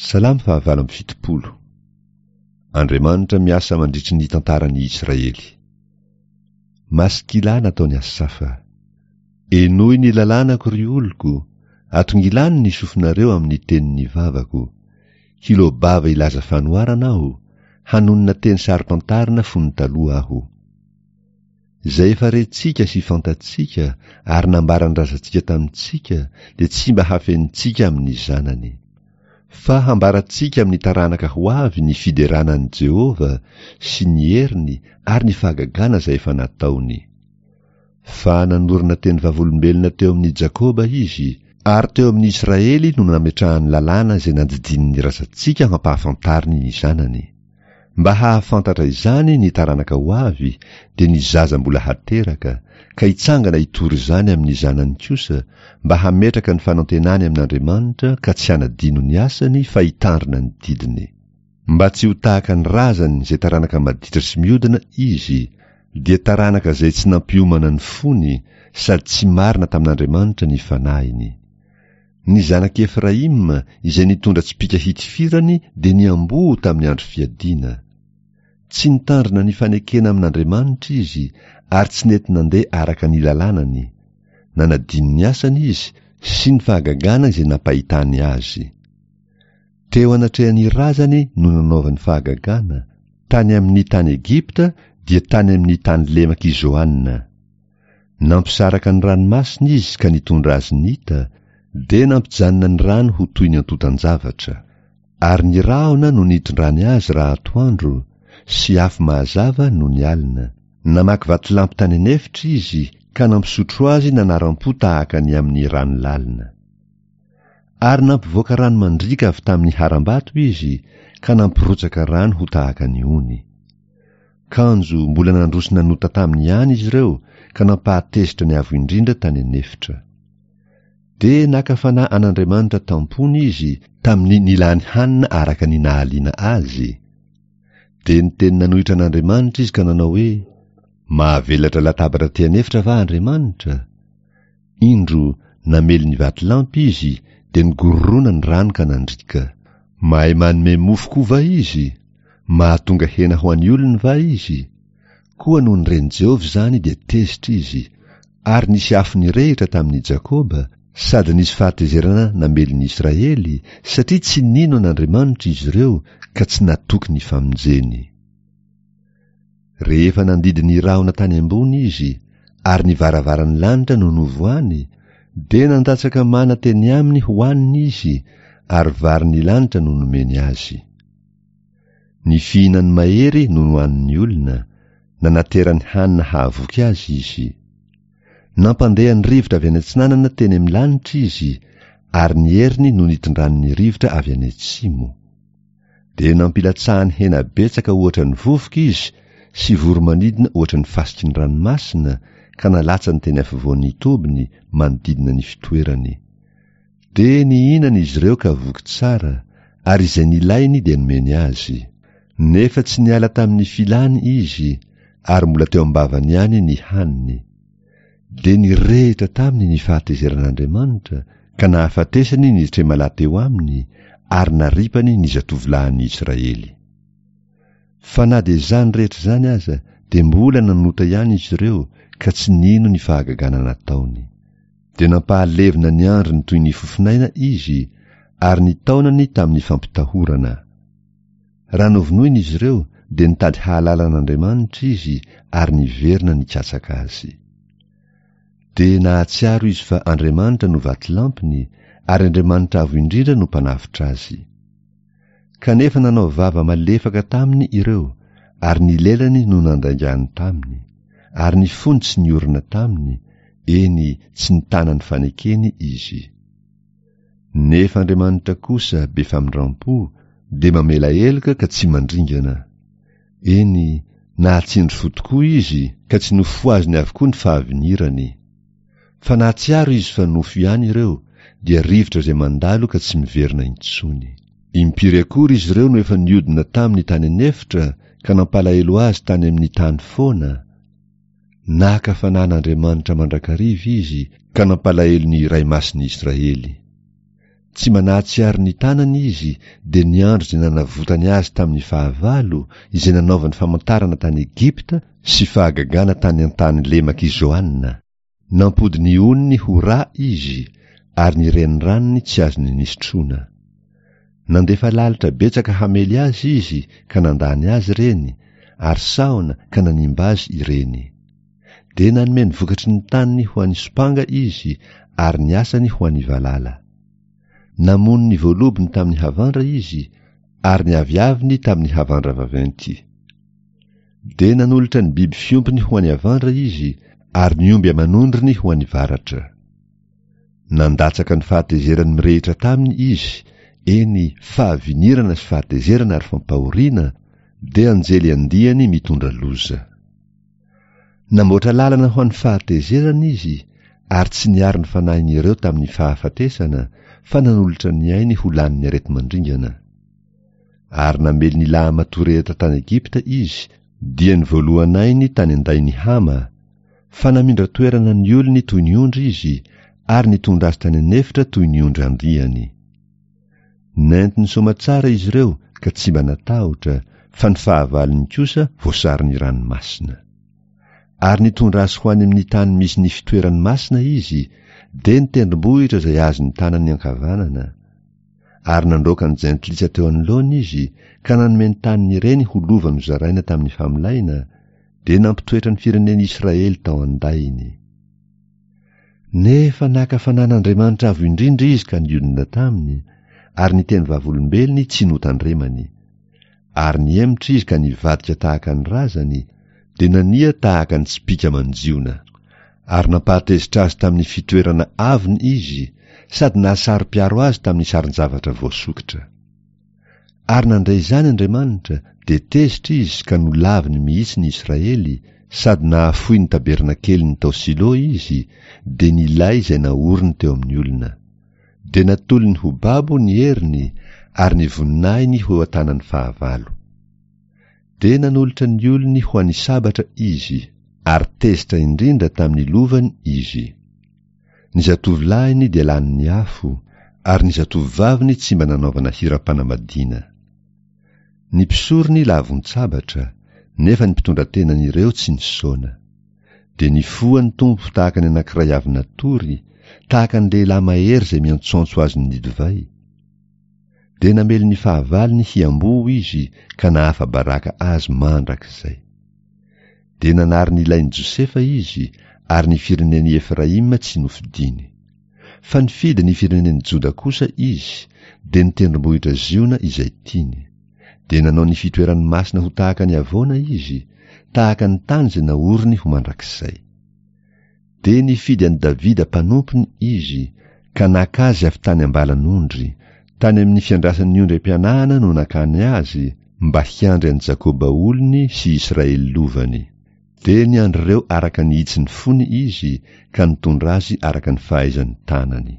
Salamo faha-78. Andriamanitra miasa mandritry ny tantaran'i Israely. Maskila nataon'i Asafa. Henoy ny lalànako, ry oloko, atongilano ny sofinareo amin'ny tenin'ny vavako. Hiloa-bava hilaza fanoharana aho, hanonona teny saro-pantarina fony taloha aho. Izay efa rentsika sy fantatsika ary nambaran'ny razantsika tamintsika dia tsy mba hafenintsika amin'ny zanany. Fa hambarantsika amin'ny taranaka ho avy ny fiderana an'i Jehovah sy ny heriny ary ny fahagagana izay efa nataony. Fa nanorina teny vavolombelona teo amin'i Jakoba izy, ary teo amin'i Israely no nametrahany lalàna izay nandidian'ny razantsika hampahafantariny ny zanany. Mba hahafantatra izany ny taranaka ho avy, dia ny zaza mbola hateraka, ka hitsangana hitory izany amin'ny zanany kosa, mba hametraka ny fanantenany amin'Andriamanitra ka tsy hanadino ny asany fa hitandrina ny didiny. Mba tsy ho tahaka ny razany izay taranaka maditra sy miodina izy, dia taranaka izay tsy nampiomana ny fony sady tsy marina tamin'Andriamanitra ny fanahiny. Ny zanak'i Efraima izay nitondra tsipìka hitifirany dia niamboho tamin'ny andro fiadiana. Tsy nitandrina ny fanekena amin'Andriamanitra izy ary tsy nety nandeha araka ny lalànany. Nanadino ny asany izy sy ny fahagagana izay nampahitany azy. Teo anatrehan'ny razany no nanaovany fahagagana, tany amin'ny tany Egypta dia tany amin'ny tany lemak'i Zoana. Nampisaraka ny ranomasina izy ka nitondra azy nita, dia nampijanona ny rano ho toy ny antontan-javatra. Ary ny rahona no nitondrany azy raha atoandro, sy afo mahazava nony alina. Namaky vatolampy tany an'efitra izy ka nampisotro azy nanaram-po tahaka ny amin'ny rano lalina. Ary nampivoaka rano mandriaka avy tamin'ny harambato izy ka nampirotsaka rano ho tahaka ny ony. Kanjo mbola nandroso nanota taminy ihany izy ireo ka nampahatezitra ny Avo Indrindra tany an'efitra. Dia naka fanahy an'Andriamanitra tam-pony izy tamin'ny nilany hanina araka ny nahaliana azy. Dia niteny nanohitra an'Andriamanitra izy ka nanao hoe, Mahavelatra latabatra aty an'efitra va Andriamanitra? Indro, namely ny vatolampy izy, dia nigororoana ny rano ka nandriaka. Mahay manome mofo koa va izy? Mahatonga hena ho an'ny olony va izy? Koa nony ren'i Jehovah izany dia tezitra izy, ary nisy afo nirehitra tamin'i Jakoba, sady nisy fahatezerana namely ny Israely, satria tsy nino an'Andriamanitra izy ireo ka tsy natoky ny famonjeny. Rehefa nandidy ny rahona tany ambony izy, ary ny varavaran'ny lanitra no novohany, dia nandatsaka mana teny aminy hohaniny izy, ary varin'ny lanitra no nomeny azy. Ny fihinan'ny mahery no nohanin'ny olona, nanaterany hanina hahavoky azy izy. Nampandeha ny rivotra avy any atsinanana teny amin'ny lanitra izy, ary ny heriny no nitondrany ny rivotra avy any atsimo. Dia nampilatsahany hena betsaka ohatra ny vovoka izy sy voro-manidina ohatra ny fasiky ny ranomasina ka nalatsany teny afovoan'ny tobiny manodidina ny fitoerany. Dia nihinana izy ireo ka voky tsara, ary izay nilainy dia nomeny azy. Nefa tsy niala tamin'ny filany izy, ary mbola teo am-bavany ihany ny haniny. Dia nirehitra taminy ny fahatezeran'Andriamanitra, ka nahafatesany ny tremalahy teo aminy, ary naripany ny zatovolahin'ny Israely. Fa na dia izany rehetra izany aza, dia mbola nanota ihany izy ireo, ka tsy nino ny fahagagana nataony. Dia nampahalevona ny androny toy ny fofonaina izy, ary ny taonany tamin'ny fampitahorana. Raha novonoina izy ireo, dia nitady hahalala an'Andriamanitra izy ary niverina nikatsaka azy. Dia nahatsiaro izy fa Andriamanitra no vatolampiny, ary Andriamanitra Avo Indrindra no Mpanavotra azy. Kanefa nanao vava malefaka taminy ireo, ary ny lelany no nandaingany taminy, ary ny fony tsy niorina taminy, eny, tsy nitana ny fanekeny izy. Nefa Andriamanitra kosa be famindram-po, dia mamela heloka ka tsy mandringana. Eny, nahatsindry fo tokoa izy, ka tsy nofohaziny avokoa ny fahavinirany. Fa nahatsiaro izy fa nofo ihany ireo, dia rivotra izay mandalo ka tsy miverina intsony. Impiry akory izy ireo no efa niodina taminy tany an'efitra ka nampalahelo azy tany amin'ny tany foana? Naka fanahy an'Andriamanitra mandrakariva izy ka nampalahelo ny Iray Masin'ny Israely. Tsy mba nahatsiaro ny tanany izy, dia ny andro izay nanavotany azy tamin'ny fahavalo, izay nanaovany famantarana tany Egypta sy fahagagana tany an-tany lemak'i Zoana. Nampody ny oniny ho ra izy, ary ny reniranony tsy azony nisotroina. Nandefa lalitra betsaka hamely azy izy ka nandany azy ireny, ary sahona ka nanimba azy ireny. Dia nanome ny vokatry ny taniny ho an'ny sompanga izy ary ny asany ho an'ny valala. Namono ny voalobony tamin'ny havandra izy ary ny aviaviny tamin'ny havandra vaventy. Dia nanolotra ny biby fiompiny ho an'ny havandra izy ary ny omby aman'ondriny ho an'ny varatra. Nandatsaka ny fahatezerany mirehitra taminy izy, eny, fahavinirana sy fahatezerana ary fampahoriana, dia anjely andiany mitondra loza. Namboatra lalana ho an'ny fahatezerana izy ary tsy niaro ny fanahin'ireo tamin'ny fahafatesana fa nanolotra ny ainy ho lanin'ny areti-mandringana. Ary namely ny lahamatoa rehetra tany Egypta izy, dia ny voalohan'ainy tany an-dain'i Hama, fa namindra toerana ny olony toy ny ondry izy ary nitondra azy tany an'efitra toy ny ondry andiany. Nentiny soamatsara izy ireo ka tsy mba natahotra, fa ny fahavalony kosa voasaron'ny ranomasina. Ary nitondra azy ho any amin'ny tany misy ny fitoerany masina izy, dia ny tendrombohitra izay azon'ny tanany ankavanana. Ary nandroaka ny jentilisa teo anoloany izy, ka nanome ny tanin'ireny ho lova nozaraina tamin'ny famolaina, dia nampitoetra ny firenen'Israely tao an-dainy. Nefa naka fanan'Andriamanitra Avo Indrindra izy ka nionona taminy, ary ny teny vavolombelony tsy notandremany. Ary nihemotra izy ka nivadika tahaka ny razany, dia nania tahaka ny tsipìka manjiona. Ary nampahatezitra azy tamin'ny fitoerana avony izy, sady nahasaro-piaro azy tamin'ny sarin-javatra voasokitra. Ary nandre izany Andriamanitra, dia tezitra izy ka nolaviny mihitsy ny Israely, sady nahafoy ny tabernakeliny tao Silo izy, dia ny lay izay naoriny teo amin'ny olona. Dia natolony ho babo ny heriny, ary ny voninahiny ho eo an-tanan'ny fahavalo. Dia nanolotra ny olony ho an'ny sabatra izy, ary tezitra indrindra tamin'ny lovany izy. Ny zatovolahiny dia lanin'ny afo, ary ny zatovovaviny tsy mba nanaovana hiram-panambadiana. Ny mpisorony lavon-tsabatra, nefa ny mpitondratenan'ireo tsy nisaona. Dia nifoha ny Tompo tahaka ny anankiray avy natory, tahaka ny lehilahy mahery izay miantsoantso azon'ny divay. Dia namely ny fahavalony hiamboho izy ka nahafa-baraka azy mandrakizay. Dia nanary ny lain'i Josefa izy, ary ny firenen'i Efraima tsy nofidiny. Fa nifidy ny firenen'i Joda kosa izy, dia ny tendrombohitra Ziona izay tiany. Dia nanao ny fitoerany masina ho tahaka ny havoana izy, tahaka ny tany izay naoriny ho mandrakizay. Dia nifidy an'i Davida mpanompony izy, ka naka azy avy tany am-balan'ondry. Tany amin'ny fiandrasan'ny ondry am-pianahana no nakany azy, mba hiandry an'i Jakoba olony sy Israely lovany. Dia niandry ireo araka ny hitsin'ny fony izy, ka nitondra azy araka ny fahaizan'ny tanany.